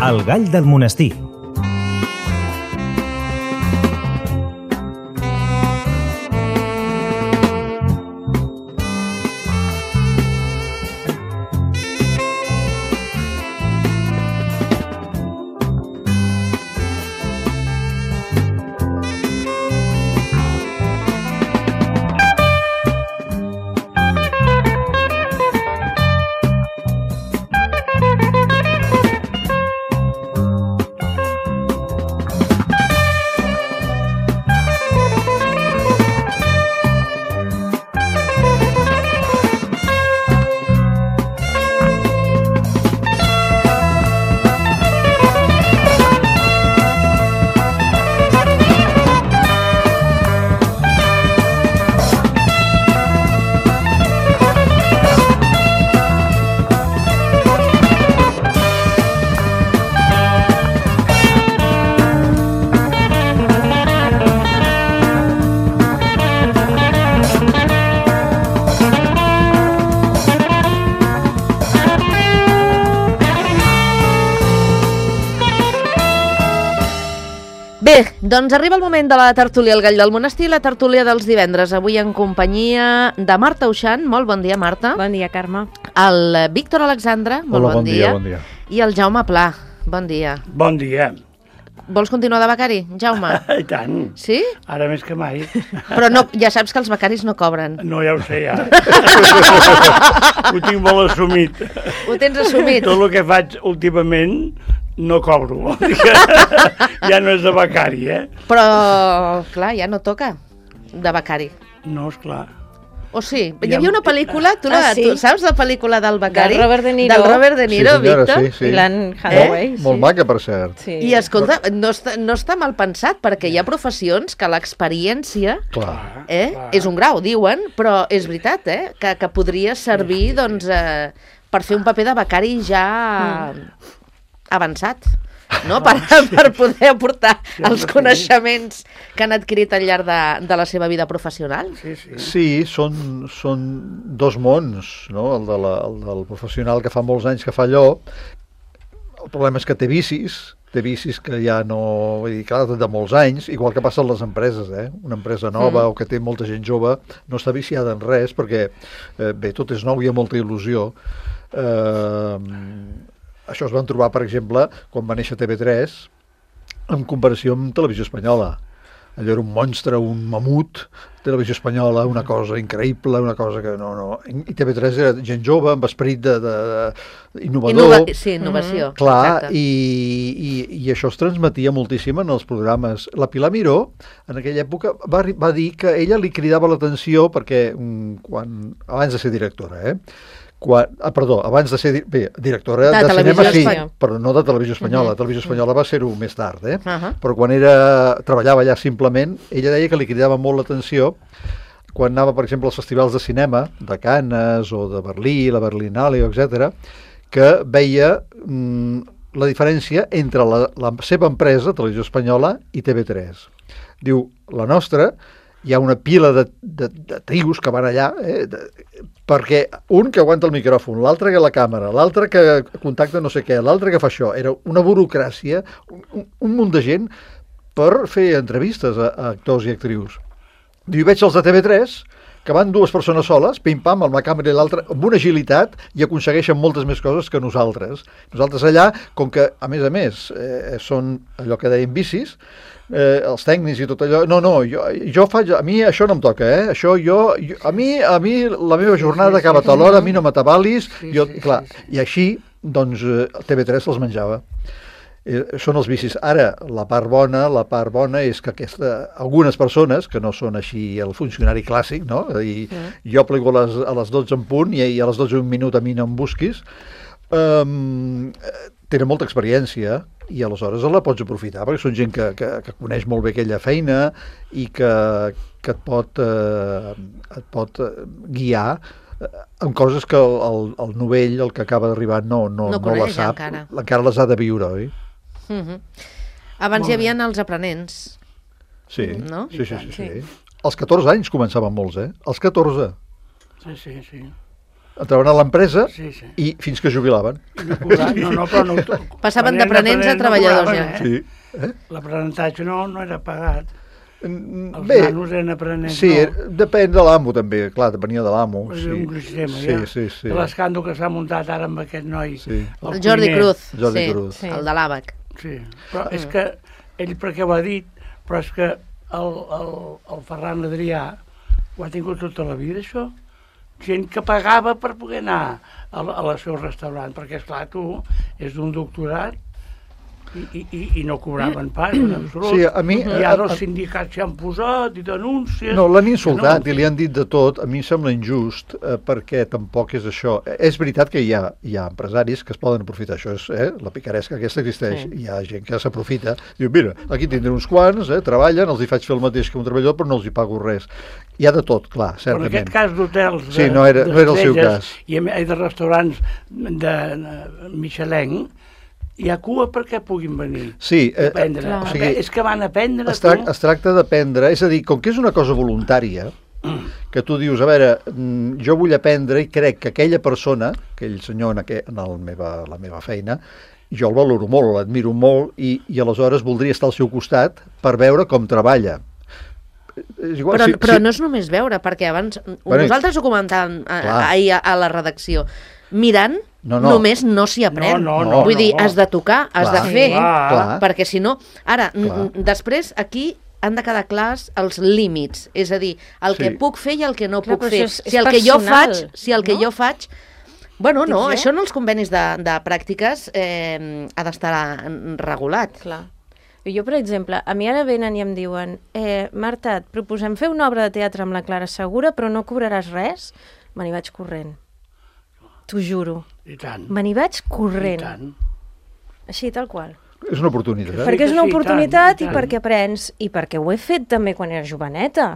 El gall del monestir. Bé, doncs arriba el moment de la tertúlia El Gall del Monestir, la tertúlia dels divendres. Avui en companyia de Marta Uixant. Molt bon dia, Marta. Bon dia, Carme. El Víctor Alexandre. Molt bon dia. Bon dia. I el Jaume Pla. Bon dia. Bon dia. Vols continuar de becari, Jaume? I tant. Sí? Ara més que mai. Però no, ja saps que els becaris no cobren. No, ja ho sé, ja. Ho tinc molt assumit. Ho tens assumit? Tot el que faig últimament no cobro. Vol dir que ja no és de becari, eh? Però, clar, ja no toca de becari. No, esclar. O sí? Hi havia una pel·lícula, tu saps la pel·lícula del becari? Del Robert De Niro. Del Robert De Niro, sí, senyora, Víctor. sí. I l'Anne Hathaway. Molt maca, per cert. Sí. I escolta, no està mal pensat, perquè hi ha professions que l'experiència Clar. és un grau, diuen, però és veritat, que podria servir doncs, per fer un paper de becari ja avançat, no? Per poder aportar els coneixements que han adquirit al llarg de la seva vida professional. Sí, són dos mons, no? El del professional que fa molts anys que fa allò. El problema és que té vicis que ja no... Vull dir, clar, de molts anys, igual que passa a les empreses, Una empresa nova o que té molta gent jove no està viciada en res perquè, bé, tot és nou i hi ha molta il·lusió. Això es van trobar, per exemple, quan va néixer TV3, en comparació amb Televisió Espanyola. Allò era un monstre, un mamut, Televisió Espanyola, una cosa increïble, una cosa que no... I TV3 era gent jove, amb esperit innovador. Sí, innovació. Clar, i això es transmetia moltíssim en els programes. La Pilar Miró, en aquella època, va dir que ella li cridava l'atenció perquè, abans de ser directora, abans de ser directora de cinema, sí, però no de Televisió Espanyola. Televisió Espanyola va ser-ho més tard, però quan treballava allà simplement, ella deia que li cridava molt l'atenció quan anava, per exemple, als festivals de cinema, de Cannes o de Berlí, la Berlinale, etc., que veia la diferència entre la seva empresa, Televisió Espanyola, i TV3. Diu, la nostra... Hi ha una pila de trios que van allà, perquè un que aguanta el micròfon, l'altre que la càmera, l'altre que contacta no sé què, l'altre que fa això. Era una burocràcia, un munt de gent per fer entrevistes a actors i actrius. I veig els de TV3, que van dues persones soles, pim-pam, amb la càmera i l'altra, amb una agilitat, i aconsegueixen moltes més coses que nosaltres. Nosaltres allà, com que, a més, són allò que deien vicis, els tècnics i tot allò, jo faig, a mi això no em toca, això a mi la meva jornada acaba a tal hora, a mi no m'atabalis, clar, i així, doncs, TV3 se'ls menjava. Són els vicis. Ara, la part bona és que algunes persones, que no són així el funcionari clàssic, no? I jo plego a les 12 en punt i a les 12 un minut a mi no em busquis, tenen molta experiència i aleshores la pots aprofitar perquè són gent que coneix molt bé aquella feina i que et pot guiar en coses que el novell, el que acaba d'arribar, no la sap, encara les ha de viure, oi? Abans hi havia els aprenents. Sí, no? Sí. Als 14 anys començaven molts, als 14. Sí. entraven a l'empresa Sí. i fins que jubilaven. No, però no... Passaven d'aprenents a treballadors, ja. Sí. L'aprenentatge no era pagat. Els Bé, nanos eren aprenents, sí, no. depèn de l'amo també, clar, depenia de l'amo. És un sistema, Sí, ja. sí, sí. De l'escàndol que s'ha muntat ara amb aquest noi. Sí. El Jordi cuiner. Cruz, Jordi sí, Cruz. sí, el de l'àbac. Sí, però és que ell perquè ho ha dit, però és que el Ferran Adrià ho ha tingut tota la vida, això. Gent que pagava per poder anar al seu restaurant, perquè, esclar, tu és d'un doctorat i no cobraven pas, en absolut. Sí, a mi... I ara els sindicats s'hi han posat i denúncies... No, l'han insultat no. i li han dit de tot. A mi em sembla injust perquè tampoc és això. És veritat que hi ha empresaris que es poden aprofitar. Això és la picaresca aquesta existeix. Sí. Hi ha gent que s'aprofita. Diu, mira, aquí tindré uns quants, treballen, els hi faig fer el mateix que un treballador, però no els hi pago res. Hi ha de tot, clar, Però en certament. aquest cas d'hotels, Sí, no era el seu cas. I de restaurants de Michelin, hi ha cua perquè puguin venir Sí, a aprendre. o sigui, És que van a aprendre, es tracta d'aprendre, és a dir, com que és una cosa voluntària, que tu dius, a veure, jo vull aprendre i crec que aquella persona, aquell senyor en la meva feina, jo el valoro molt, l'admiro molt i aleshores voldria estar al seu costat per veure com treballa. És igual, Però no és només veure, perquè abans nosaltres ho comentàvem ahir a la redacció. Mirant, només no s'hi aprèn. No. Vull dir, has de tocar, has de fer, perquè si no... Ara, després aquí han de quedar clars els límits, és a dir, el que puc fer i el que no puc fer. Si el que jo faig... Bueno, no, això en els convenis de pràctiques ha d'estar regulat. Clar. Jo, per exemple, a mi ara venen i em diuen Marta, et proposem fer una obra de teatre amb la Clara Segura, però no cobraràs res? Me n'hi vaig corrent. T'ho juro. I tant. Me n'hi vaig corrent. I tant. Així, tal qual. És una oportunitat. Perquè és una Sí, oportunitat i tant. i perquè aprens, i perquè ho he fet també quan era joveneta.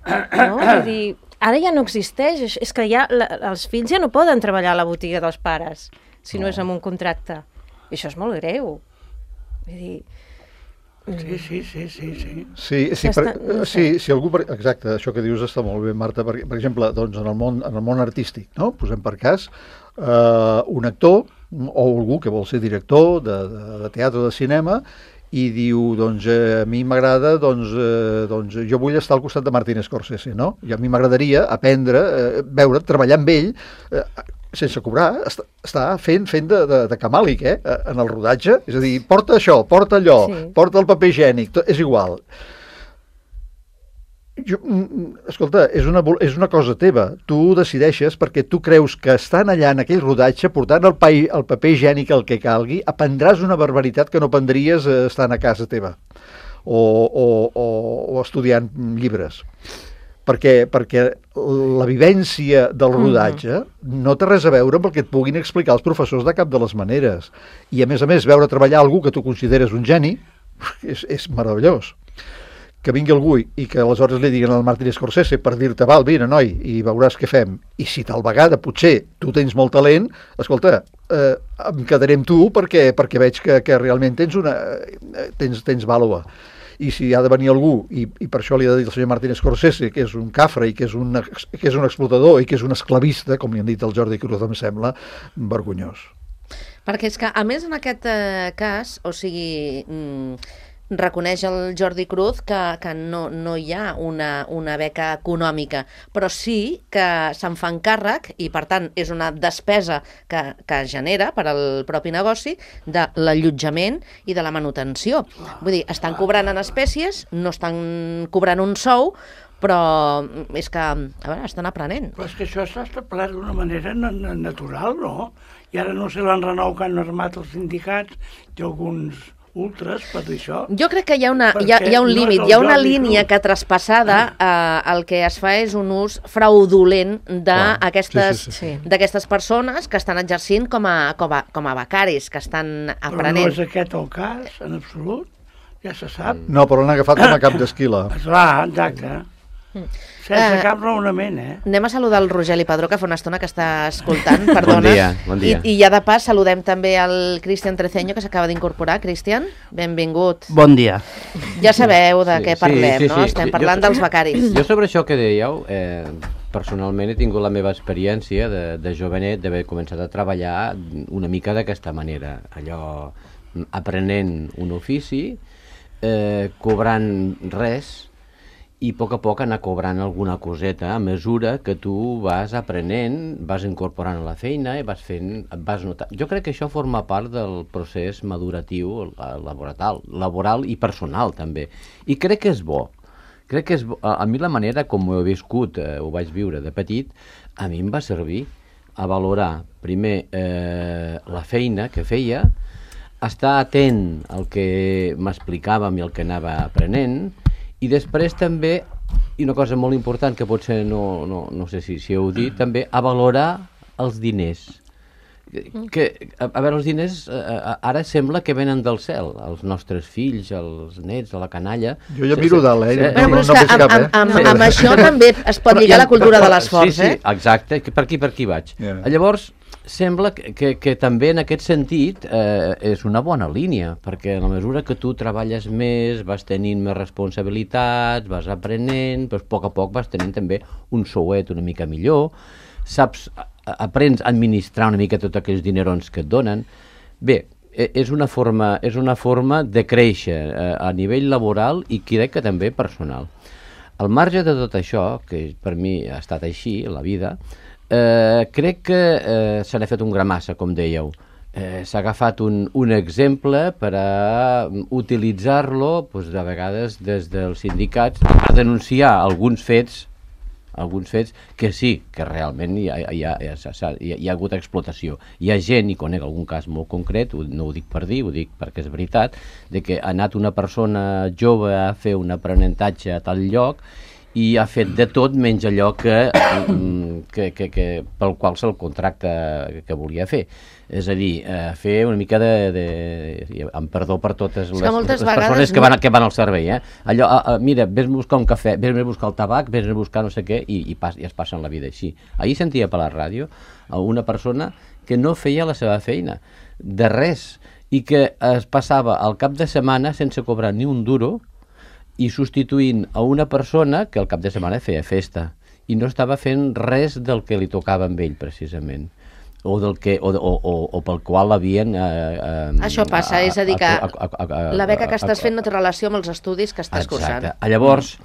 No? Vull dir, ara ja no existeix. És que ja els fills ja no poden treballar a la botiga dels pares si no és amb un contracte. I això és molt greu. Vull dir... Sí. Si algú... Exacte, això que dius està molt bé, Marta, perquè, per exemple, doncs, en el món artístic, no? Posem per cas, un actor o algú que vol ser director de teatre o de cinema i diu, doncs, a mi m'agrada, doncs, jo vull estar al costat de Martin Scorsese, no? I a mi m'agradaria aprendre, veure, treballar amb ell, sense cobrar, està fent de camàlic, en el rodatge. És a dir, porta això, porta allò, porta el paper higiènic, és igual. Escolta, és una cosa teva. Tu decideixes perquè tu creus que estan allà en aquell rodatge, portant el paper higiènic el que calgui, aprendràs una barbaritat que no aprendries estant a casa teva o estudiant llibres. Perquè la vivència del rodatge no té res a veure amb el que et puguin explicar els professors de cap de les maneres. I a més, veure treballar algú que tu consideres un geni és meravellós. Que vingui algú i que aleshores li diguin al Martin Scorsese per dir-te, val, vine, noi, i veuràs què fem. I si tal vegada potser tu tens molt talent, escolta, em quedaré amb tu perquè veig que realment tens vàlua. I si ha de venir algú, i per això li ha de dir el senyor Martin Scorsese, que és un cafre i que és un explotador i que és un esclavista, com li han dit al Jordi Cruz, em sembla vergonyós. Perquè és que, a més, en aquest cas, o sigui, reconeix el Jordi Cruz que no hi ha una beca econòmica, però sí que se'n fan càrrec i, per tant, és una despesa que genera per al propi negoci de l'allotjament i de la manutenció. Vull dir, estan cobrant en espècies, no estan cobrant un sou, però és que, a veure, estan aprenent. Però és que això s'ha establert d'una manera natural, no? I ara no sé l'enrenou que han armat els sindicats i alguns ultres per dir això. Jo crec que hi ha un límit, hi ha una línia que traspassada el que es fa és un ús fraudulent d'aquestes persones que estan exercint com a becaris, que estan aprenent. Però no és aquest el cas, en absolut, ja se sap. No, però l'han agafat com a cap d'esquila. Esclar, exacte. Sense cap raonament, Anem a saludar el Rogeli Padró, que fa una estona que està escoltant, perdona. Bon dia. I ja de pas saludem també el Cristian Treceño, que s'acaba d'incorporar. Cristian, benvingut. Bon dia. Ja sabeu de què parlem, no? Estem parlant dels becaris. Jo sobre això que dèieu, personalment he tingut la meva experiència de jovenet d'haver començat a treballar una mica d'aquesta manera, allò aprenent un ofici, cobrant res i a poc anar cobrant alguna coseta a mesura que tu vas aprenent, vas incorporant a la feina i vas notar. Jo crec que això forma part del procés maduratiu laboral i personal també, i crec que és bo. Crec que és bo. A mi la manera com ho he viscut, ho vaig viure de petit, a mi em va servir a valorar primer la feina que feia, estar atent al que m'explicàvem i el que anava aprenent, i després també, i una cosa molt important que potser no sé si heu dit, també a valorar els diners. A veure, els diners ara sembla que venen del cel, els nostres fills, els nets, la canalla. Jo ja miro dalt, Però és que amb això també es pot lligar la cultura de l'esforç, Sí, exacte, per aquí vaig. Llavors, sembla que també en aquest sentit és una bona línia, perquè a la mesura que tu treballes més, vas tenint més responsabilitats, vas aprenent, doncs a poc vas tenint també un souet una mica millor, aprens a administrar una mica tots aquells dinerons que et donen. Bé, és una forma de créixer a nivell laboral i crec que també personal. Al marge de tot això, que per mi ha estat així, la vida, crec que se n'ha fet un gramassa, com dèieu. S'ha agafat un exemple per a utilitzar-lo, doncs, de vegades des dels sindicats, a denunciar alguns fets que sí, que realment hi ha hagut explotació. Hi ha gent, i conec algun cas molt concret, no ho dic per dir, ho dic perquè és veritat, de que ha anat una persona jove a fer un aprenentatge a tal lloc i ha fet de tot menys allò pel qual se'l contracta que volia fer. És a dir, fer una mica amb perdó per totes les persones que van al servei, allò, mira, vés a buscar un cafè, vés a buscar el tabac, vés a buscar no sé què, i es passen la vida així. Ahir sentia per la ràdio una persona que no feia la seva feina, de res, i que es passava el cap de setmana sense cobrar ni un duro, i substituint a una persona que al cap de setmana feia festa i no estava fent res del que li tocava amb ell, precisament, o pel qual l'havien... Això passa, és a dir, que la beca que estàs fent no té relació amb els estudis que estàs cursant. Llavors,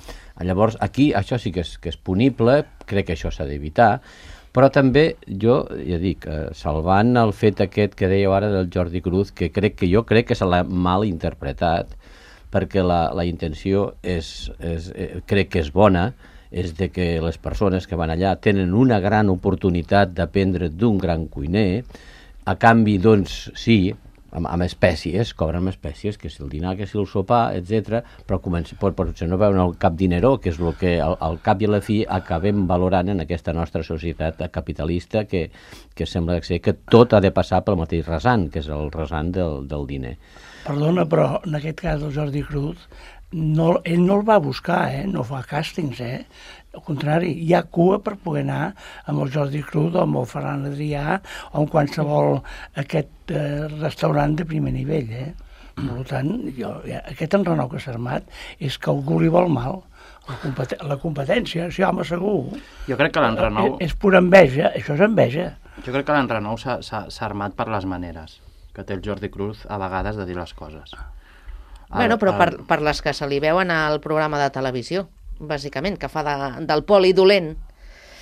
aquí això sí que és punible, crec que això s'ha d'evitar, però també jo, ja dic, salvant el fet aquest que dèieu ara del Jordi Cruz, que jo crec que se l'ha mal interpretat, perquè la intenció crec que és bona, és de que les persones que van allà tenen una gran oportunitat d'aprendre d'un gran cuiner, a canvi, doncs, sí, amb espècies, cobren amb espècies, que si el dinar, que si el sopar, etc. Però potser no veuen el cap dineró, que és el que al cap i a la fi acabem valorant en aquesta nostra societat capitalista que sembla que tot ha de passar pel mateix rasant, que és el rasant del diner. Perdona, però en aquest cas del Jordi Cruz, ell no el va buscar, no fa càstings, al contrari, hi ha cua per poder anar amb el Jordi Cruz o amb el Ferran Adrià o amb qualsevol aquest restaurant de primer nivell, Per tant, aquest enrenou que s'ha armat és que algú li vol mal. La competència, sí, home, segur. Jo crec que l'enrenou... És pura enveja, això és enveja. Jo crec que l'enrenou s'ha armat per les maneres que té el Jordi Cruz a vegades de dir les coses. Bueno, però per les que se li veuen al programa de televisió, bàsicament, que fa del poli dolent.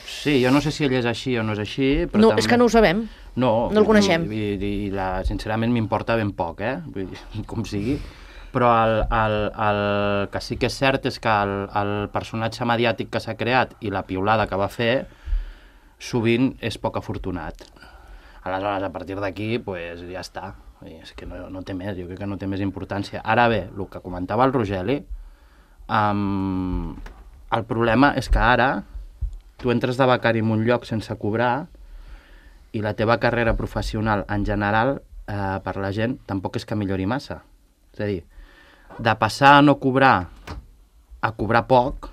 Sí, jo no sé si ell és així o no és així, però no, també... és que no ho sabem, no el coneixem. I sincerament m'importa ben poc, vull dir, com sigui, però el que sí que és cert és que el personatge mediàtic que s'ha creat i la piulada que va fer sovint és poc afortunat. Aleshores, a partir d'aquí, pues, ja està. És que no té més, jo crec que no té més importància. Ara bé, el que comentava el Rogeli, el problema és que ara tu entres de becari en un lloc sense cobrar i la teva carrera professional en general per la gent tampoc és que millori massa. És a dir, de passar a no cobrar a cobrar poc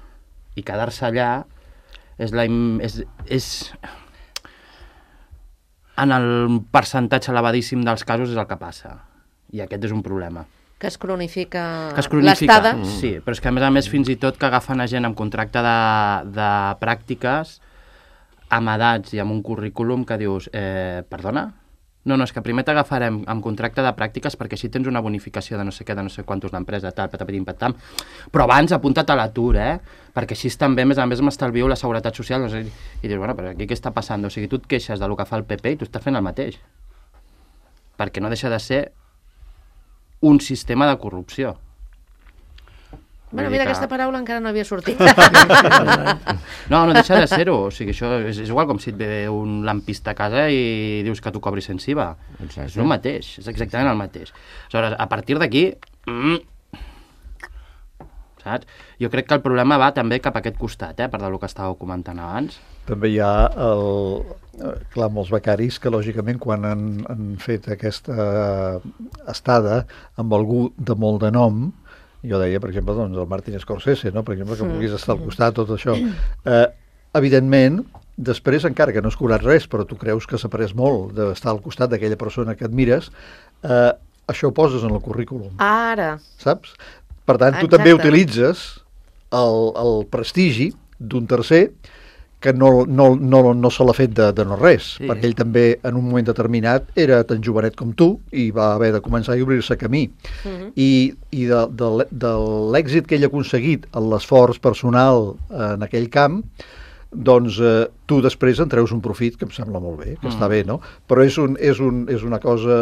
i quedar-se allà és en el percentatge elevadíssim dels casos és el que passa. I aquest és un problema. Que es cronifica l'estada. Sí, però és que a més fins i tot que agafen a gent amb contracte de pràctiques amb edats i amb un currículum que dius, perdona? No, és que primer t'agafarem amb contracte de pràctiques perquè així tens una bonificació de no sé què, de no sé quantos l'empresa, tal, patapatim, patam. Però abans apunta't a l'atur, perquè així també, a més m'estalvio la seguretat social. No sé, i dius, bueno, però aquí què està passant? O sigui, tu et queixes del que fa el PP i tu estàs fent el mateix. Perquè no deixa de ser un sistema de corrupció. Bueno, mira, aquesta paraula encara no havia sortit. No deixa de ser-ho. O sigui, això és igual com si et ve un lampista a casa i dius que tu cobris sense IVA. És el mateix, és exactament el mateix. Aleshores, a partir d'aquí, saps? Jo crec que el problema va també cap a aquest costat, per del que estàveu comentant abans. També hi ha clar, molts becaris que, lògicament, quan han fet aquesta estada amb algú de molt de nom, jo deia, per exemple, doncs, el Martin Scorsese, no? Per exemple, que vulguis estar al costat, tot això. Evidentment, després, encara que no has cobrat res, però tu creus que s'ha après molt d'estar al costat d'aquella persona que admires, això ho poses en el currículum. Ara. Saps? Per tant, tu també utilitzes el prestigi d'un tercer que no se l'ha fet de no res, perquè ell també en un moment determinat era tan jovenet com tu i va haver de començar a obrir-se camí. I de l'èxit que ell ha aconseguit en l'esforç personal en aquell camp, doncs tu després en treus un profit que em sembla molt bé, que està bé, no? Però és una cosa,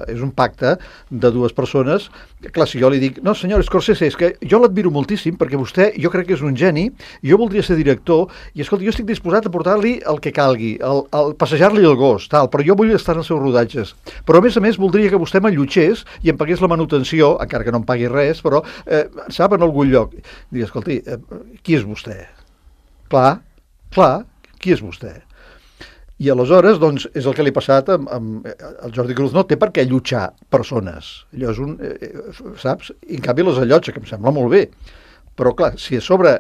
és un pacte de dues persones. Clar, si jo li dic, no senyor Scorsese, és que jo l'admiro moltíssim perquè vostè, jo crec que és un geni, jo voldria ser director i escolta, jo estic disposat a portar-li el que calgui, passejar-li el gos, tal, però jo vull estar en els seus rodatges. Però a més voldria que vostè m'allotgés i em pagués la manutenció, encara que no em pagui res, però sap, en algun lloc. Dic, escolti, qui és vostè? Clar, qui és vostè? I aleshores, doncs, és el que li ha passat amb el Jordi Cruz. No té per què allotjar persones. Allò és un... saps? I en canvi les allotja, que em sembla molt bé. Però, clar, si a sobre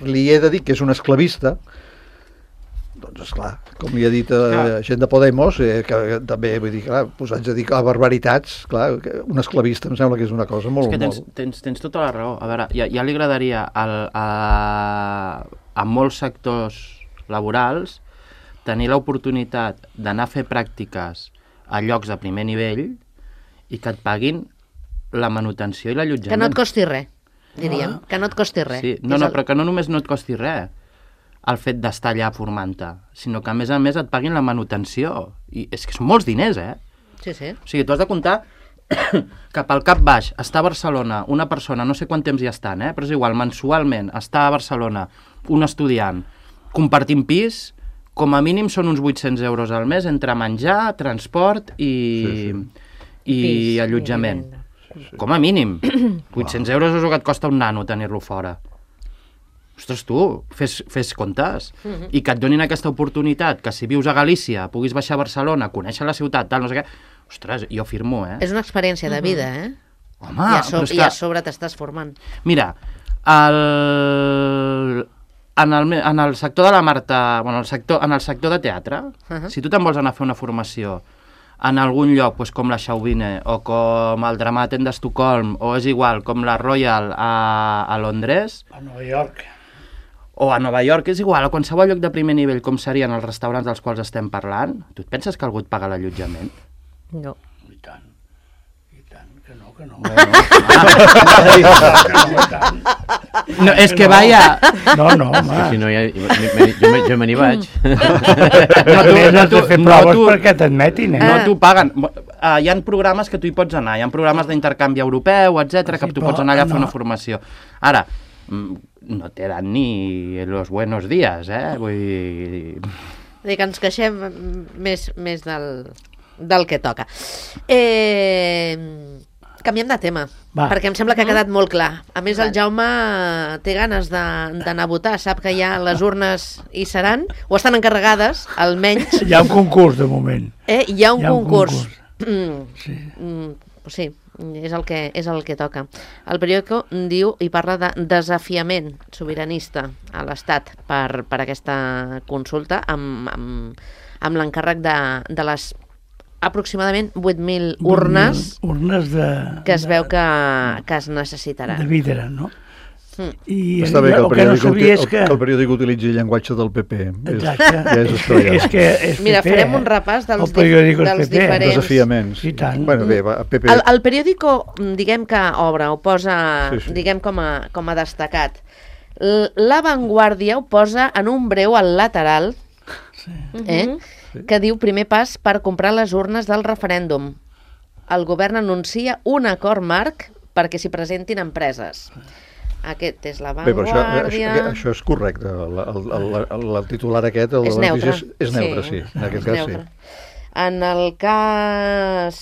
li he de dir que és un esclavista, doncs, esclar, com li ha dit gent de Podemos, que també, vull dir, clar, posats a dir barbaritats, clar, un esclavista em sembla que és una cosa molt... És que tens tota la raó. A veure, ja li agradaria a molts sectors laborals tenir l'oportunitat d'anar a fer pràctiques a llocs de primer nivell i que et paguin la manutenció i l'allotjament. Que no et costi res, diríem. Que no et costi res. Sí. Però que no només no et costi res el fet d'estar allà formant-te, sinó que a més et paguin la manutenció. I és que són molts diners, Sí. O sigui, tu has de comptar que pel cap baix està a Barcelona una persona, no sé quant temps hi estan, però és igual, mensualment està a Barcelona un estudiant compartint pis, com a mínim són uns 800 euros al mes entre menjar, transport i allotjament. Com a mínim. 800 euros és el que et costa un nano tenir-lo fora. Ostres, tu, fes comptes. I que et donin aquesta oportunitat, que si vius a Galícia puguis baixar a Barcelona, conèixer la ciutat, tal, no sé què. Ostres, jo firmo, És una experiència de vida, Home, I a sobre t'estàs formant. Mira, en el sector de la Marta, bueno, en el sector de teatre, si tu te'n vols anar a fer una formació en algun lloc, com la Chauvine o com el Dramaten d'Estocolm, o és igual, com la Royal a Londres... A Nova York. O a Nova York, és igual, a qualsevol lloc de primer nivell, com serien els restaurants dels quals estem parlant, tu et penses que algú et paga l'allotjament? No. I tant, que no. No, és que vaya... No, home. Si no, jo me n'hi vaig. No, tu fer proves perquè t'admetin, No t'ho paguen. Hi ha programes que tu hi pots anar, hi ha programes d'intercanvi europeu, etc que tu pots anar allà a fer una formació. Ara, no te dan ni los buenos días, vull dir... Vull dir que ens queixem més del que toca. Canviem de tema, perquè em sembla que ha quedat molt clar. A més, el Jaume té ganes d'anar a votar, sap que ja les urnes hi seran, o estan encarregades, almenys. Hi ha un concurs, de moment. Hi ha un concurs. Sí. Sí, és el que toca. El periòdico diu i parla de desafiament sobiranista a l'Estat per aquesta consulta amb l'encàrrec de les aproximadament 8.000 urnes urnes que es veu que es necessitaran. De vidre, no? I Està bé que el que no sabia és que el periòdic utilitzi el llenguatge del PP. Exacte. Ja és estrellat. És que és Mira, PP, farem un repàs dels, El periòdico és dels PP. diferents... Desafiaments. I tant. Bueno, bé, va, PP... El periòdico, diguem que obre, ho posa, Sí. diguem, com a destacat. La Vanguardia ho posa en un breu al lateral, que diu primer pas per comprar les urnes del referèndum. El govern anuncia un acord marc perquè s'hi presentin empreses. Aquest és la Bé, però Vanguardia... això és correcte. El titular aquest, el És de neutre. notícies, és neutre, sí. En aquest cas, sí. En el cas...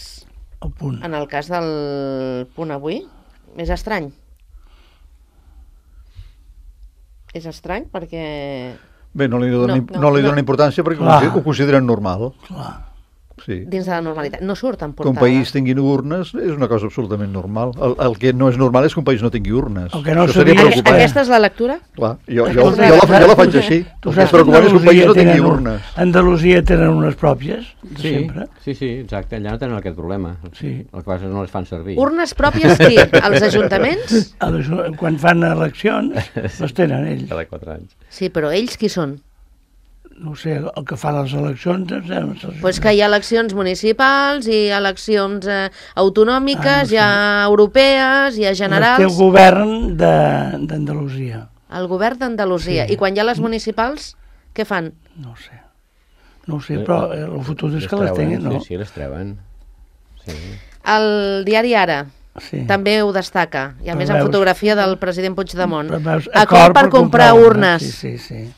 El punt. En el cas del punt avui, és estrany. És estrany perquè... Bé, no li donen, No, li donen importància perquè Clar. ho consideren normal. Clar. Sí. dins de la normalitat. No surt en Que un portada. país tingui urnes és una cosa absolutament normal. El que no és normal és que un país no tingui urnes. El que no Això seria sabia- preocupant. Aquesta és la lectura? Clar, jo Aquesta la faig així. Tu El que saps és preocupant és que un país no tingui tenen urnes. Andalusia tenen unes pròpies, de Sí, sempre. sí, exacte. Allà no tenen aquest problema. Sí. El que passa és que no les fan servir. Urnes pròpies qui? Els ajuntaments? Quan fan eleccions, les tenen ells. Cada 4 anys. Sí, però ells qui són? No ho sé, el que fan les eleccions... Pues que hi ha eleccions municipals, hi ha eleccions autonòmiques, no sé. hi ha europees, hi ha Les té el generals... govern d'Andalusia. El govern d'Andalusia. Sí. I quan hi ha les municipals, què fan? No ho sé. No ho sé, però el futur és que les treuen, tinguin, no? Sí, les treuen. Sí. El diari Ara Sí. també ho destaca. I a Però més amb veus- fotografia del president Puigdemont. Però veus, Acord per comprar urnes. Sí, sí, sí.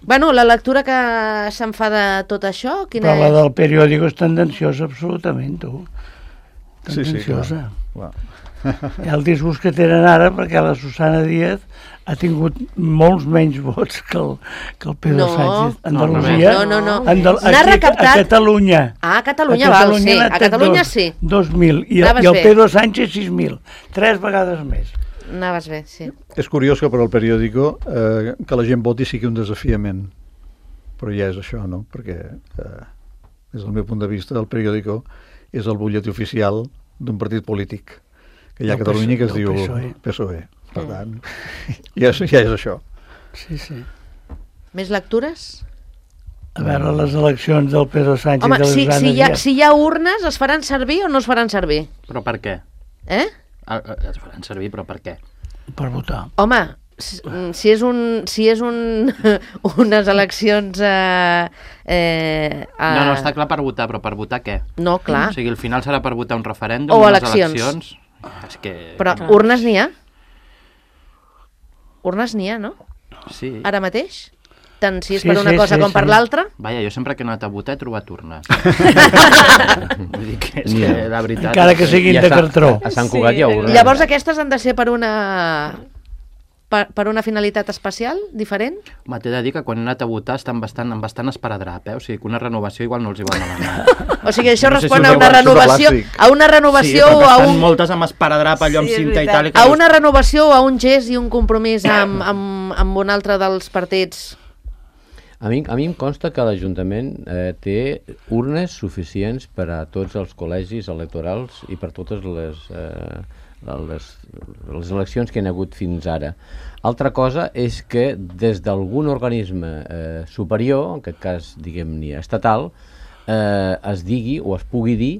Bueno, la lectura que se'n fa de tot això, quina Però la és? del periòdico és tendenciosa, absolutament, tu. Sí, sí, Tendenciosa. clar. Hi ha el disgust que tenen ara perquè la Susana Díaz ha tingut molts menys vots que el Pedro No. Sánchez. No, Andalusia. no. N'ha recaptat- A Catalunya. Ah, a Catalunya val, sí. n'ha A tret Catalunya sí. 2.000. I Anaves el bé. Pedro Sánchez 6.000. 3 vegades més. Anaves bé, sí. És curiós que per al periòdico que la gent voti sigui un desafiament. Però ja és això, no? Perquè, des del meu punt de vista, el periòdico és el butlletí oficial d'un partit polític que hi ha a Del Catalunya que es del diu PSOE. PSOE. Per tant, ja és això. Sí, sí. Més lectures? A veure, les eleccions del Pedro Sánchez Home, i de la Susana Díaz. si hi ha urnes, es faran servir o no es faran servir? Però per què? Es faran servir, però per què? Per votar. Home, si és unes eleccions... No, està clar per votar, però per votar què? No, clar. O sigui, al final serà per votar un referèndum, O unes eleccions. És que... Però urnes n'hi ha? Urnes n'hi ha, no? Sí. Ara mateix? Tant si és Sí, per una sí, cosa sí, com per sí. l'altra? Vaja, jo sempre que he anat a votar he trobat urnes. Vull dir que és N'hi que, ha. la veritat... Encara que siguin de cartró. A Sant Cugat hi ha urnes. Llavors aquestes han de ser per una finalitat especial, diferent? Home, t'he de dir que quan he anat a votar estan amb bastant esparadrap, O sigui, que una renovació igual no els hi va malament. O sigui, això No sé si respon ho a una veuen, renovació, plàstic. a una renovació sí, o perquè a estan un... moltes amb esparadrap, allò amb Sí, és cinta i veritat. tal. I que A dius, una renovació o a un gest i un compromís amb un altre dels partits? A mi em consta que l'Ajuntament té urnes suficients per a tots els col·legis electorals i per totes les eleccions que hi ha hagut fins ara. Altra cosa és que des d'algun organisme superior, en aquest cas, diguem-ne, estatal, es digui o es pugui dir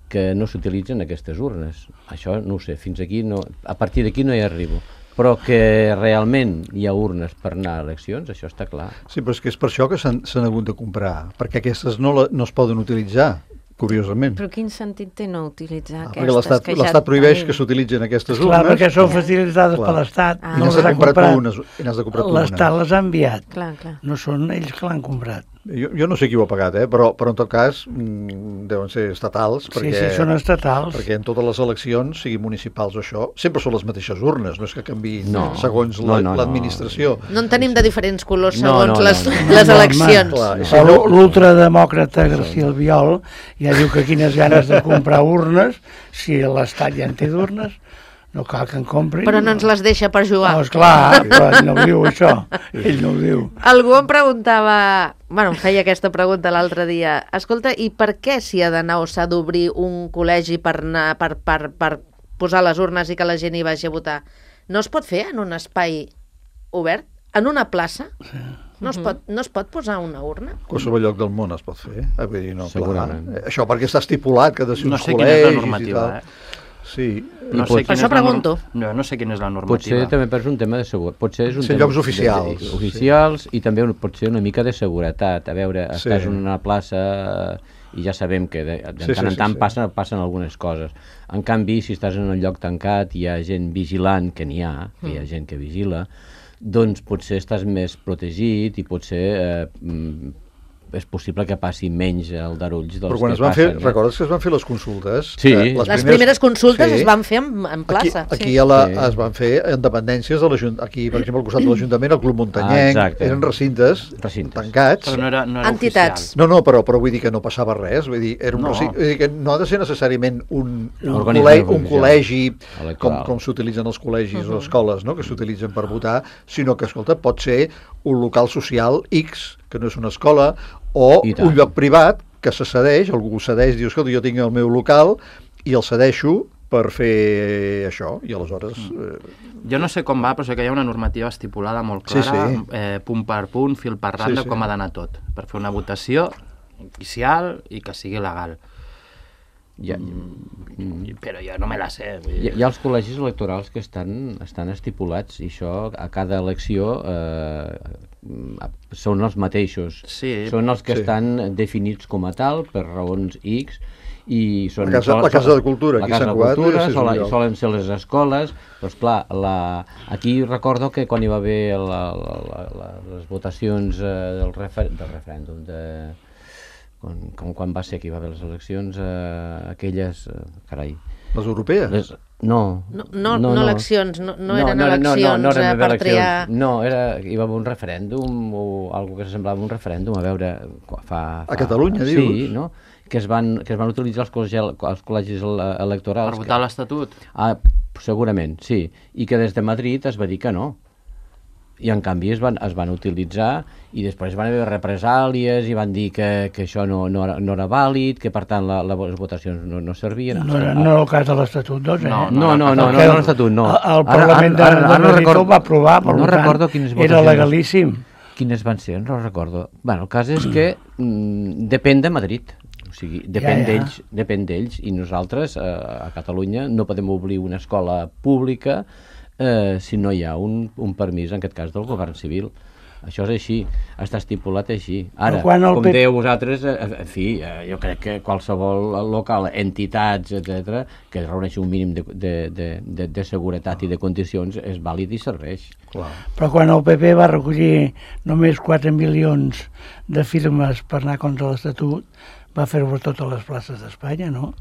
que no s'utilitzen aquestes urnes. Això no ho sé, fins aquí no, a partir d'aquí no hi arribo. Però que realment hi ha urnes per anar a eleccions, això està clar. Sí, però és que és per això que s'han hagut de comprar, perquè aquestes no es poden utilitzar, curiosament. Però quin sentit té no utilitzar Perquè aquestes que ja l'Estat prohibeix tenim? que s'utilitzin aquestes Clar, urnes. perquè són facilitades Clar. per l'Estat. Ah. I No n'has les de ha comprar tu comprat. unes. I n'has de comprar tu unes. L'Estat les ha enviat. Clar, clar. No són ells que l'han comprat. Jo no sé qui ho ha pagat, però en tot cas deuen ser estatals, perquè, Sí, són estatals. perquè en totes les eleccions, sigui municipals o això, sempre són les mateixes urnes, no és que canviïn No. segons No, no, no. l'administració. No en tenim de diferents colors No, segons no, les no. les No, eleccions. Clar, i si Però no- l'ultrademòcrata García Albiol ja diu que quines ganes de comprar urnes, si l'Estat ja en té d'urnes, no cal que en comprin. Però no ens les deixa per jugar. No, esclar, però ell no ho diu, això. Ell no ho diu. Algú em preguntava, bueno, em feia aquesta pregunta l'altre dia, escolta, i per què s'hi ha d'anar o s'ha d'obrir un col·legi per anar per posar les urnes i que la gent hi vagi a votar? no es pot fer en un espai obert, en una plaça? No es pot posar una urna? Qualsevol lloc del món es pot fer. Vull dir, no, segurament. Clar. Això perquè està estipulat que ha de ser uns col·legis. No sé quina és la normativa, Sí. Per això pregunto. No sé quina és la normativa. Potser també és un tema de seguretat. Potser és un tema llocs oficials. Oficials i també pot ser una mica de seguretat. A veure, estàs en una plaça i ja sabem que de tant en tant passen algunes coses. En canvi, si estàs en un lloc tancat i hi ha gent vigilant, que n'hi ha, que hi ha gent que vigila, doncs potser estàs més protegit i potser és possible que passi menys el darulls dels Però quan que es van fer, passen. recordes que es van fer les consultes? Sí. Les primeres consultes es van fer en plaça. Aquí es van fer en dependències de l'Ajuntament. Aquí, per exemple, al costat de l'Ajuntament, el Club Muntanyenc, eren recintes tancats. Però no era entitats. oficial. No, però vull dir que no passava res. Vull dir, vull dir que no ha de ser necessàriament un col·legi com s'utilitzen els col·legis o escoles, no?, que s'utilitzen per votar, sinó que, escolta, pot ser un local social X, que no és una escola, o un lloc privat que se cedeix, algú cedeix, diu, escolta, jo tinc el meu local i el cedeixo per fer això, i aleshores... Jo no sé com va, però sé que hi ha una normativa estipulada molt clara, punt per punt, fil per randa, com ha d'anar tot, per fer una votació oficial i que sigui legal. Però jo no me la sé. Hi ha els col·legis electorals que estan estipulats i això a cada elecció són els mateixos. Són els que estan definits com a tal per raons X i són la Casa de Cultura, aquí Sant Cugat, solen ser les escoles, però esclar, aquí recordo que quan hi va haver les votacions del referèndum quan va ser que hi va haver les eleccions aquelles, carai, les europees? No eleccions, no eren eleccions per triar... No, hi va haver un referèndum o alguna que s'assemblava a un referèndum, a veure... A Catalunya, dius? Sí, no? Que es van utilitzar els col·legis electorals. Per votar l'Estatut? Segurament, sí. I que des de Madrid es va dir que no. I en canvi es van utilitzar i després van haver represàlies i van dir que això no era vàlid, que per tant les votacions no servien. No era el cas de l'Estatut 2, eh? No, l'Estatut no. El Parlament de Madrid ho va aprovar, per tant, era legalíssim. Quines van ser? No recordo. Bueno, el cas és que depèn de Madrid. O sigui, depèn d'ells i nosaltres a Catalunya no podem obrir una escola pública si no hi ha un permís, en aquest cas, del govern civil. Això és així, està estipulat així. Ara, com dèieu vosaltres, en fi, jo crec que qualsevol local, entitats, etc, que reuneixi un mínim de seguretat i de condicions és vàlid i serveix. Clar. Però quan el PP va recollir només 4 milions de firmes per anar contra l'Estatut, va fer-ho a totes les places d'Espanya, no?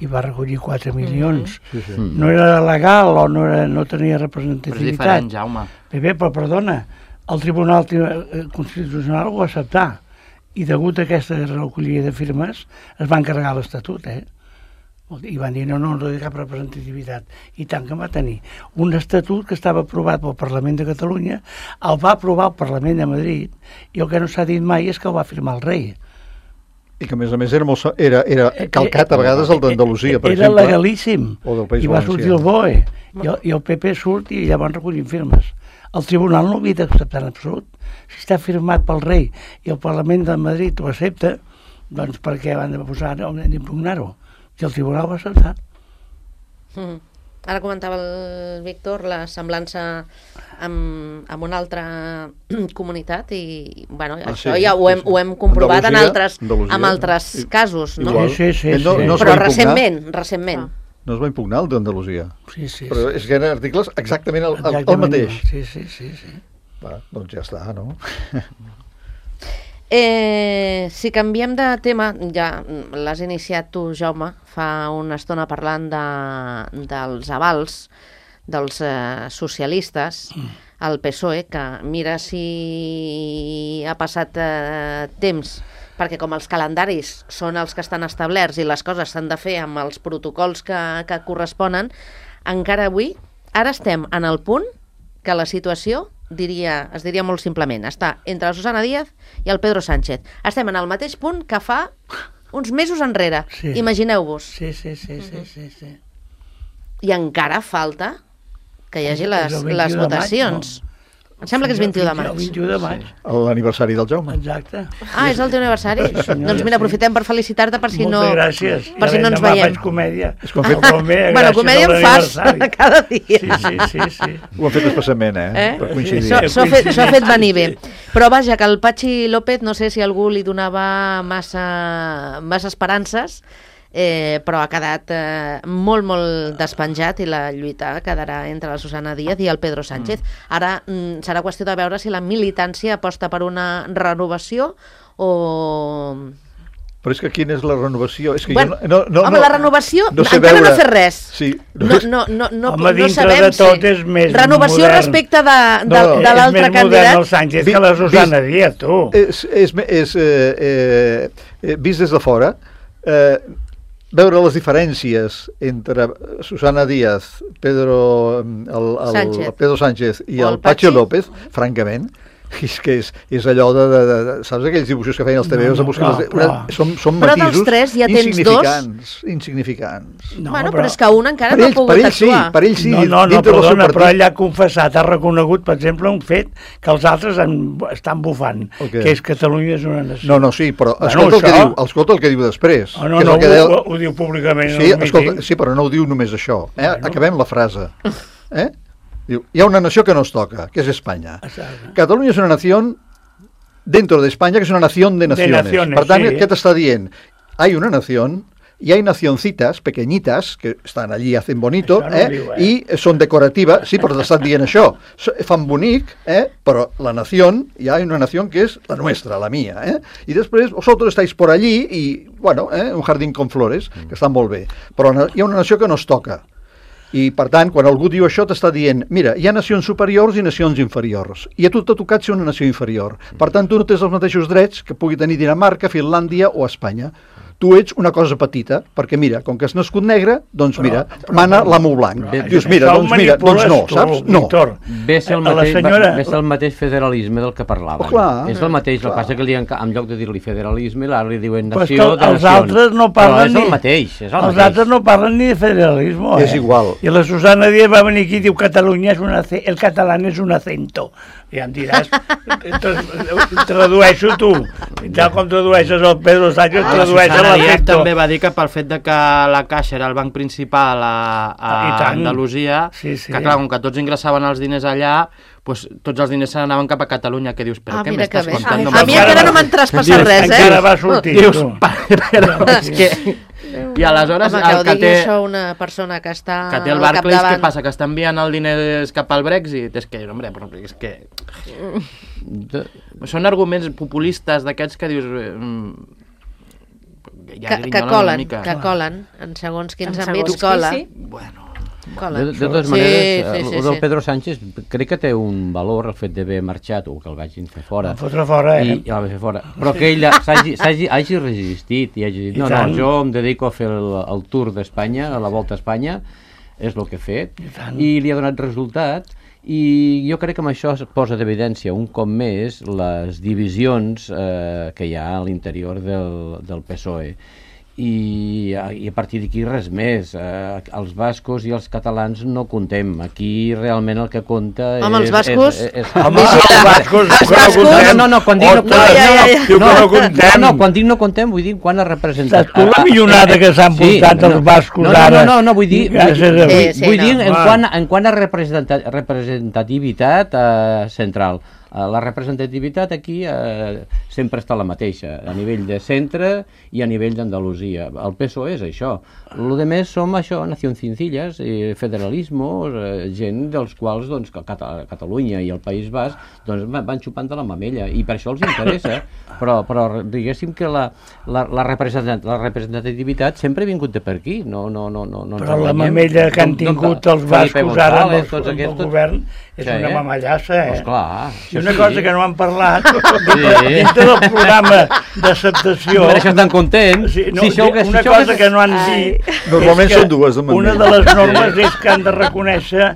I va recollir 4 milions. No era legal o no tenia representativitat. Però és diferent, Jaume. Però perdona, el Tribunal Constitucional ho va acceptar i degut a aquesta recollida de firmes es van carregar l'Estatut, i van dir no té cap representativitat, i tant que va tenir un estatut que estava aprovat pel Parlament de Catalunya, el va aprovar el Parlament de Madrid i el que no s'ha dit mai és que el va firmar el rei. I que, a més era calcat a vegades el d'Andalusia, per exemple. Era legalíssim. I va sortir el BOE. I el PP surt i llavors recollim firmes. El tribunal no ho havia d'acceptar en absolut. Si està firmat pel rei i el Parlament de Madrid ho accepta, doncs per què van d'impugnar-ho? I el tribunal va acceptar. Ara comentava el Víctor la semblança amb una altra comunitat i bueno, això ja ho hem comprovat en altres casos, no? Sí. Però recentment. No es va impugnar el d'Andalusia. Sí. Però és que eren articles exactament el mateix. Sí. Doncs ja està, no? Si canviem de tema, ja l'has iniciat tu, Jaume, fa una estona parlant dels avals dels socialistes al PSOE, que mira si ha passat temps, perquè com els calendaris són els que estan establerts i les coses s'han de fer amb els protocols que corresponen, encara avui, ara estem en el punt que la situació es diria molt simplement, està entre la Susana Díaz i el Pedro Sánchez. Estem en el mateix punt que fa uns mesos enrere, imagineu-vos. Sí. I encara falta que hi hagi És el 21 les de maig, votacions. Em sembla que és 21 de maig. El 21 de maig, L'aniversari del Jaume. exacte. Ah, és el teu aniversari? Sí, senyora, Doncs mira, sí. aprofitem per felicitar-te per si no... Moltes gràcies. Per si no ens Demà veiem. faig comèdia. És que ho han fet- Bueno, comèdia en fas cada dia. Sí. Ho han fet especialment, per coincidir. S'ho ha fet venir bé. Però vaja, que el Patxi López, no sé si algú li donava massa esperances, però ha quedat molt, molt despenjat i la lluita quedarà entre la Susana Díaz i el Pedro Sánchez. Ara serà qüestió de veure si la militància aposta per una renovació o... Però és que quina és la renovació? És que Bueno, jo home, la renovació no sé encara veure... no ha fet res. Sí. Home, dintre sabem de tot si- és més renovació modern. respecte de És l'altre més modern candidat. el Sánchez que la Susana Díaz, tu. Vist des de fora, veure les diferències entre Susana Díaz, Pedro Sánchez i el Patxi López, francament, és que és allò saps aquells dibuixos que feien els TVOs de buscar són Però dels matisos tres ja tens insignificants. Bueno, però és que un encara no ha pogut actuar. Per ell sí, No, dintre del seu perdona, però partit. ell ha confessat, ha reconegut, per exemple, un fet que els altres estan bufant, que és Catalunya és una nació. No, sí, però Bueno, escolta el que diu després. Oh, no, ho diu públicament. Sí, escolta, sí, però no ho diu només això. Acabem la frase. Diu, hi ha una nació que nos toca, que es España. Exacte. Catalunya és una nació dentro de España, que es una nación de naciones. Per tant, sí. què t'està dient? Hay una nación, y hay nacioncitas pequeñitas que estan allí, hacen bonito, no diu, i són decoratives, sí, però t'estan dient això. Fan bonic, però la nación, hi ha una nación que és la nuestra, la mía, i després vosotros estáis por allí i, bueno, un jardín con flores, que estan molt bé, però hi ha una nació que nos toca. I, per tant, quan algú diu això, t'està dient, mira, hi ha nacions superiors i nacions inferiors, i a tu t'ha tocat ser una nació inferior. Per tant, tu no tens els mateixos drets que pugui tenir Dinamarca, Finlàndia o Espanya. Tu ets una cosa petita, perquè mira, com que has nascut negre, doncs mira, mana l'amo blanc. Dius, mira, doncs no, saps? No. Ve ser el mateix federalisme del que parlàvem. És el mateix, el que passa que en lloc de dir-li federalisme, ara li diuen nació de nacions. Els altres no parlen ni... És el mateix, Els altres no parlen ni de federalisme, És igual. I la Susana Díaz va venir aquí i diu Catalunya és el català és un acento. I ja em diràs, tradueixo tu. Tal com tradueixes el Pedro Sánchez, tradueixes l'acento. També va dir que pel fet de que la Caixa era el banc principal a Andalusia, que clar, com que tots ingressaven els diners allà, doncs tots els diners se n'anaven cap a Catalunya, que dius, però què m'estàs contant? A mi encara no m'han traspassat res, Encara va sortir. Dius, però és que... I aleshores home, que ho digui això una persona que està que té el Barclays, què passa? Que està enviant el diners cap al Brexit? És que, home, però és que... Són arguments populistes d'aquests que dius... que colen, en segons quins àmbits cola. Bueno, de totes maneres, el del Pedro Sánchez crec que té un valor el fet d'haver marxat o que el vagin fer fora. Fotre fora, Però que ell hagi resistit i hagi dit, no, jo em dedico a fer el tour d'Espanya, a la volta a Espanya, és el que he fet, i li ha donat resultat, i jo crec que amb això es posa d'evidència un cop més les divisions que hi ha a l'interior del PSOE. I a partir d'aquí res més. Els bascos i els catalans no contem. Aquí realment el que compta és... Home, els bascos... Home, els bascos... No, quan dic no contem, vull dir quan ha representat... Saps tu la millonada que s'han portat els bascos ara? No, vull dir en quant a representativitat central. La representativitat aquí sempre està la mateixa, a nivell de centre i a nivell d'Andalusia. El PSOE és això. Lo de més som això, nacioncincillas, federalismos, gent dels quals doncs, Catalunya i el País Basc doncs, van xupant de la mamella, i per això els interessa. Però diguéssim que la representativitat sempre ha vingut de per aquí. Però la mamella que han tingut els bascos ara amb el govern és una mamallassa, Esclar. I una cosa que no han parlat, dintre del programa d'acceptació... Per això estan contents. Una cosa que no han dit... Normalment són dues. Una de les normes és que han de reconèixer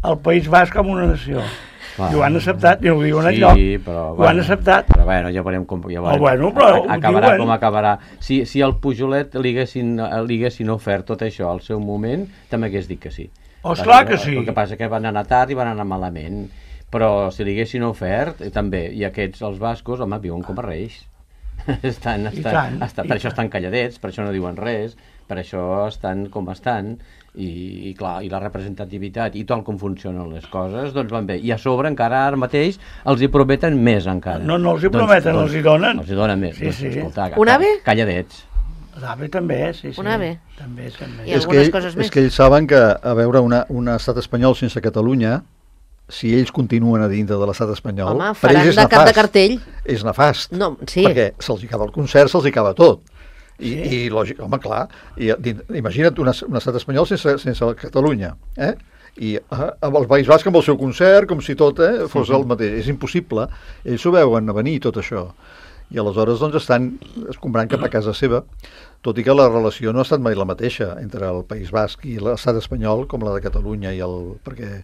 el País Basc com una nació. I ho han acceptat, i no ho diuen enlloc. Ho han acceptat. Però bueno, ja veurem com acabarà com acabarà. Si el Pujolet li haguessin ofert tot això al seu moment, també hagués dit que sí. Oh, esclar que sí. El que passa que van anar tard i van anar malament. Però si li haguessin ofert, també, i aquests, els bascos, home, viuen com a reis. Per això estan calladets, per això no diuen res, per això estan com estan, i clar, i la representativitat i tal com funcionen les coses, doncs van bé. I a sobre encara ara mateix els hi prometen més encara. No els hi prometen, els hi donen. Els hi donen més. Sí, sí. Escolta, Un ave? Calladets. L'AVE també, sí. Un ave? També. I algunes coses més. És que ells saben que, a veure, un estat espanyol sense Catalunya, si ells continuen a dintre de l'estat espanyol, home, per ells és faran de cap de nefast. cartell. És nefast. No, sí. Perquè se'ls hi acaba el concert, se'ls hi acaba tot. I lògic, home, clar, imagina't un estat espanyol sense Catalunya, i amb el País Basc amb el seu concert, com si tot fos el mateix. És impossible. Ells s'ho veuen a venir, tot això. I aleshores doncs estan escombrant cap a casa seva, tot i que la relació no ha estat mai la mateixa entre el País Basc i l'estat espanyol com la de Catalunya, perquè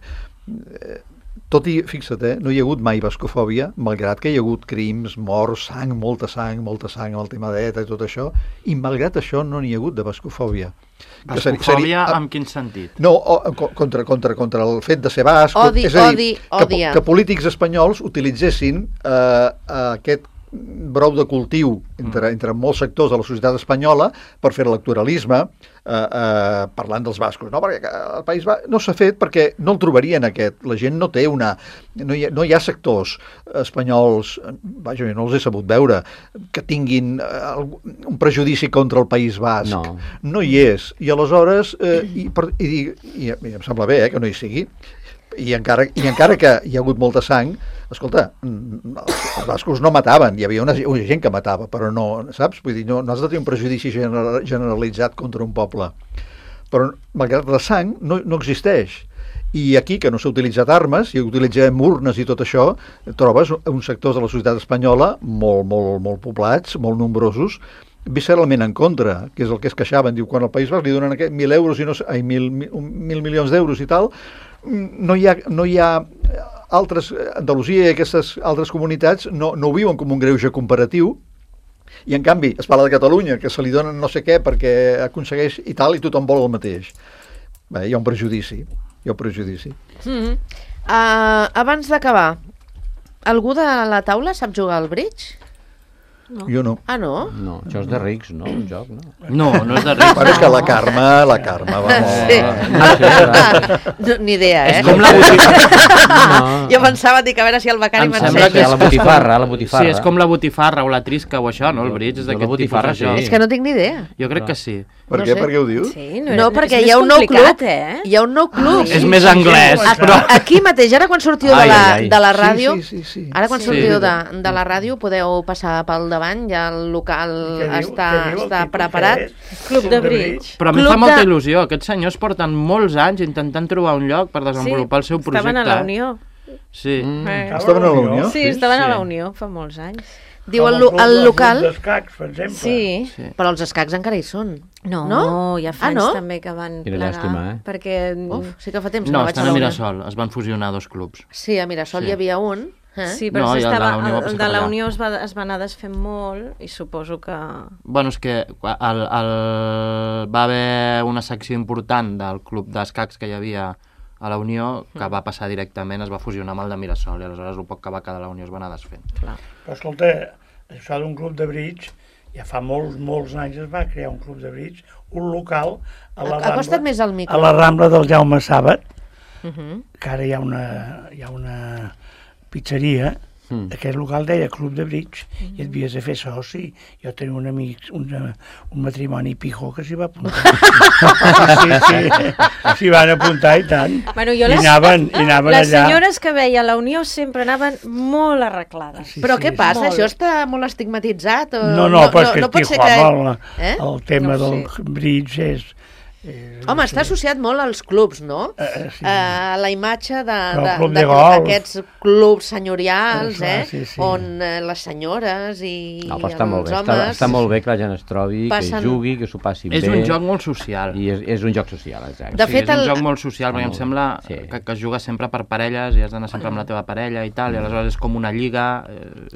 tot i, fixa't, no hi ha hagut mai bascofòbia, malgrat que hi ha hagut crims, morts, molta sang amb el tema d'ETA i tot això, i malgrat això no n'hi ha hagut de bascofòbia. Bascofòbia en quin sentit? No, contra el fet de ser basc. Odi. Que polítics espanyols utilitzessin aquest brou de cultiu entre molts sectors de la societat espanyola per fer electoralisme parlant dels bascos, no? Perquè el País Basc no s'ha fet perquè no el trobarien aquest, la gent no té no hi ha sectors espanyols, vaja, jo no els he sabut veure, que tinguin un prejudici contra el País Basc, no hi és, i aleshores i em sembla bé que no hi sigui, i encara que hi ha hagut molta sang, escolta, els bascos no mataven, hi havia una gent que matava, però no, saps? Vull dir, no has de tenir un prejudici generalitzat contra un poble. Però, malgrat la sang, no existeix. I aquí, que no s'ha utilitzat armes, i utilitzem urnes i tot això, trobes uns sectors de la societat espanyola molt poblats, molt nombrosos, visceralment en contra, que és el que es queixaven. Diu, quan al País Basc li donen 1.000 euros i 1.000 milions d'euros i tal, no hi ha altres, Andalusia i aquestes altres comunitats no ho viuen com un greuge comparatiu, i en canvi es parla de Catalunya, que se li donen no sé què perquè aconsegueix i tal, i tothom vol el mateix. Bé, hi ha un prejudici. Abans d'acabar, algú de la taula sap jugar al bridge? No. Jo no. Ah, no? No, això és de rics, no? El joc, no? No és de rics. Bueno, és que la Carme va Sí. Ni idea, És com la botifarra. Jo pensava, dic, a veure si el becari Em sembla que m'ensenya. la botifarra. Sí, és com la botifarra o la trisca o això, no? El bridge és d'aquest tipus botifarra, de joc. És que no tinc ni idea. Jo crec que sí. Per No què? sé. Per què ho dius? Sí, No, perquè hi ha un nou club. Hi ha un nou club. És més anglès, però... Aquí mateix, ara quan sortiu de la ràdio, Sí. ara quan Sí. sortiu de la ràdio podeu passar pel davant, ja el local està preparat. Club de bridge. Però a mi Club fa molta de- il·lusió. Aquests senyors porten molts anys intentant trobar un lloc per desenvolupar el seu projecte. Estaven a la Unió. Sí. Estaven a la Unió? Sí, estaven a la Unió fa molts anys. Diu el local... Els d'escacs, per exemple. Sí. Però els escacs encara hi són. No, hi ha fans no? també que van Quina plegar. llàstima, Perquè... Uf, sí que fa temps que No, no vaig estan a veure. Mirasol. Es van fusionar dos clubs. Sí, a Mirasol Sí. hi havia un. Sí, però No, i el de la Unió va el passar de per la allà. Unió es va anar desfent molt i suposo que... Bueno, és que va haver una secció important del club d'escacs que hi havia a la Unió que va passar directament, es va fusionar amb el de Mirasol i aleshores el poc que va quedar a la Unió es va anar desfent. Clar. Però escolta, això d'un club de bridge, ja fa molts anys es va crear un club de bridge, un local a la Acosta't més al micro. a la Rambla del Jaume Sàbat, Uh-huh. que ara hi ha una pizzeria, aquest local deia Club de Bridge, i et havies de fer soci. Jo tenia un amic, un matrimoni pijo que s'hi va apuntar. Sí, s'hi van apuntar i tant. Bueno, jo I anaven les allà. senyores que veia a la Unió sempre anaven molt arreglades. Sí, Però què passa? Molt. Això està molt estigmatitzat? O... No, però és que no pot ser Tijuana, Eh? el tema No ho del bridge és... Home, està associat molt als clubs, no? sí. La imatge Però el club de golf. d'aquests clubs senyorials, Sí. on les senyores i No, però està molt els bé. homes... Està molt bé que la gent es trobi, Passen- que jugui, que s'ho passi bé. És un joc molt social. I és un joc social, exacte. De Sí, fet, és un el- joc molt social, perquè em sembla Sí. que es juga sempre per parelles i has d'anar sempre amb la teva parella i tal, i aleshores és com una lliga,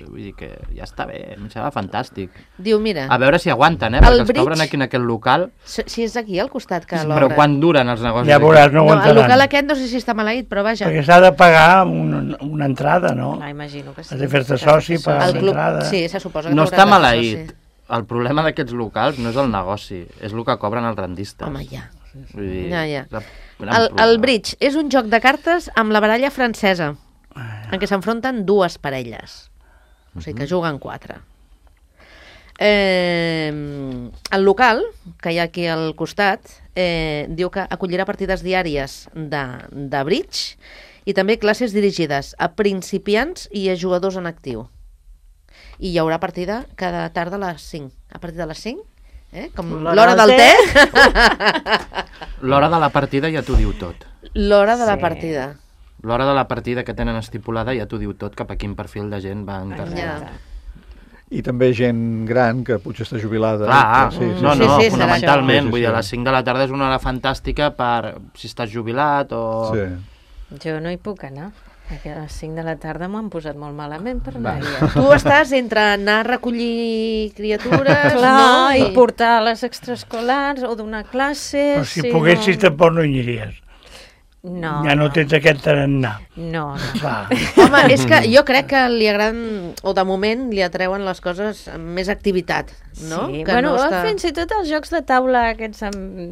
vull dir que ja està bé, em sembla fantàstic. Diu, mira, A veure si aguanten, El perquè els que bridge- obren aquí en aquest local... si és aquí al costat estat que Però l'obren. quan duren els negocis? Ja veuràs, no No, el aguantaran. local aquest no sé si està maleït, però vaja. Perquè s'ha de pagar una entrada, no? Ah, imagino que sí. Has de fer-te soci, pagar El una club, entrada. sí, se suposa que No t'hauràs està de fer maleït. soci. El problema d'aquests locals no és el negoci, és el que cobren els rendistes. Home, ja. Vull dir, Ja. és el gran El problema. bridge és un joc de cartes amb la baralla francesa, en què s'enfronten dues parelles. O sigui que juguen 4. El local, que hi ha aquí al costat, diu que acollirà partides diàries de bridge i també classes dirigides a principiants i a jugadors en actiu. I hi haurà partida cada tarda a les 5. A partir de les 5, com l'hora del té, L'hora de la partida ja t'ho diu tot. l'hora de la partida. L'hora de la partida que tenen estipulada ja t'ho diu tot cap a quin perfil de gent va encarregat. Ja. I també gent gran que potser està jubilada. Clar, que no, Sí, no, sí, serà fonamentalment. això. Vull dir, a les 5 de la tarda és una hora fantàstica per si estàs jubilat o... Sí. Jo no hi puc anar, perquè a les 5 de la tarda m'ho han posat molt malament per anar-hi. Tu estàs entre anar a recollir criatures, Clar, no? i portar a les extraescolars o donar classes... Però si poguessis tampoc no hi aniries. No, Ja no tens aquest tarannà. No, no. Va. Home, és que jo crec que li agraden, o de moment li atreuen les coses amb més activitat, no? Sí. Que Bueno, no està... fins i tot els jocs de taula aquests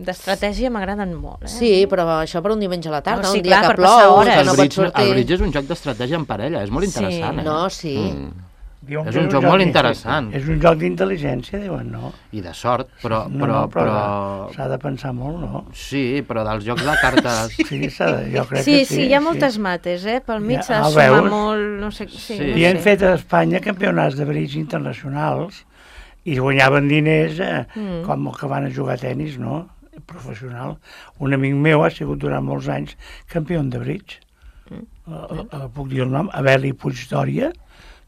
d'estratègia m'agraden molt. Sí, però això per un diumenge a la tarda, No, sí, un dia clar, que per passar plou, hores. que no el, pots bridge, sortir. el bridge és un joc d'estratègia en parella, és molt Sí. interessant. No, sí. Diuen És que un joc molt interessant. És un joc d'intel·ligència, diuen, no? I de sort, però... No, però... s'ha de pensar molt, no? Sí, però dels jocs de cartes... Sí, jo crec Sí, que sí, hi ha moltes mates, pel mig Ja, s'ha de ah, sumar veus? molt, no sé... Sí, Sí. no I han sé. fet a Espanya campionats de bridge internacionals i guanyaven diners com el que van a jugar a tenis, no? Professional. Un amic meu ha sigut durant molts anys campió de bridge. Puc dir el nom? Abeli Puigdòria.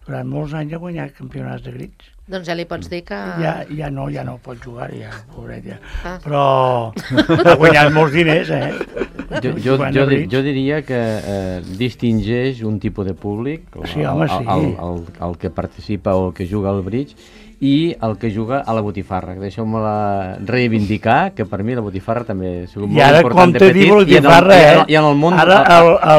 Durant molts anys ha guanyat campionats de bridge. Doncs ja li pots dir que... Ja no pot jugar, ja, pobret, ja. Ah. Però ha guanyat molts diners, Jo diria que distingeix un tipus de públic, Sí, home, sí. el que participa o el que juga al bridge, i el que juga a la botifarra. Deixeu-me reivindicar, que per mi la botifarra també ha sigut I molt ara, important de com te petit. diu botifarra, I en el món, ara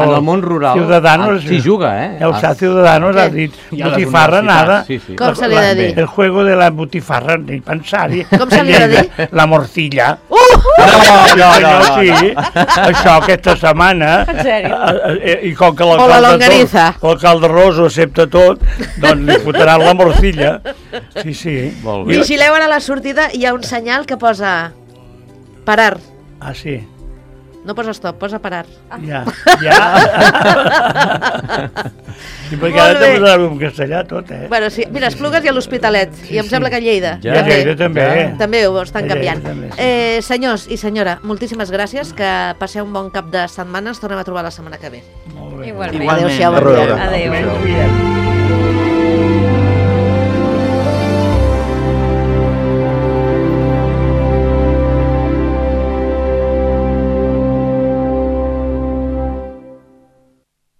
en el món rural Ciudadanos, s'hi juga, El Ciudadanos ha dit I a les botifarra, nada. universitats, sí. Com se li ha de dir? El juego de la botifarra, ni pensar-hi. Com se li ha de dir? La morcilla. No, Sí, això aquesta setmana. En sèrio? I com que O la longaniza. l'alcalde Roso accepta tot, doncs li fotran la morcilla. Sí. Molt bé. Vigileu ara a la sortida, hi ha un senyal que posa parar. Ah, sí. No posa stop, posa parar. Ja. I perquè Molt ara bé. també sabem en castellà tot, Bueno, sí, mira, Esplugues i a l'Hospitalet, i em sembla que a Lleida. Ja. Ja, Lleida també. També ho estan A Lleida canviant. també, sí. Senyors i senyora, moltíssimes gràcies, que passeu un bon cap de setmana, ens tornem a trobar la setmana que ve. Molt bé. Igualment. Igualment. Adéu-siau, A bon dia. reveure. Adéu. Adéu.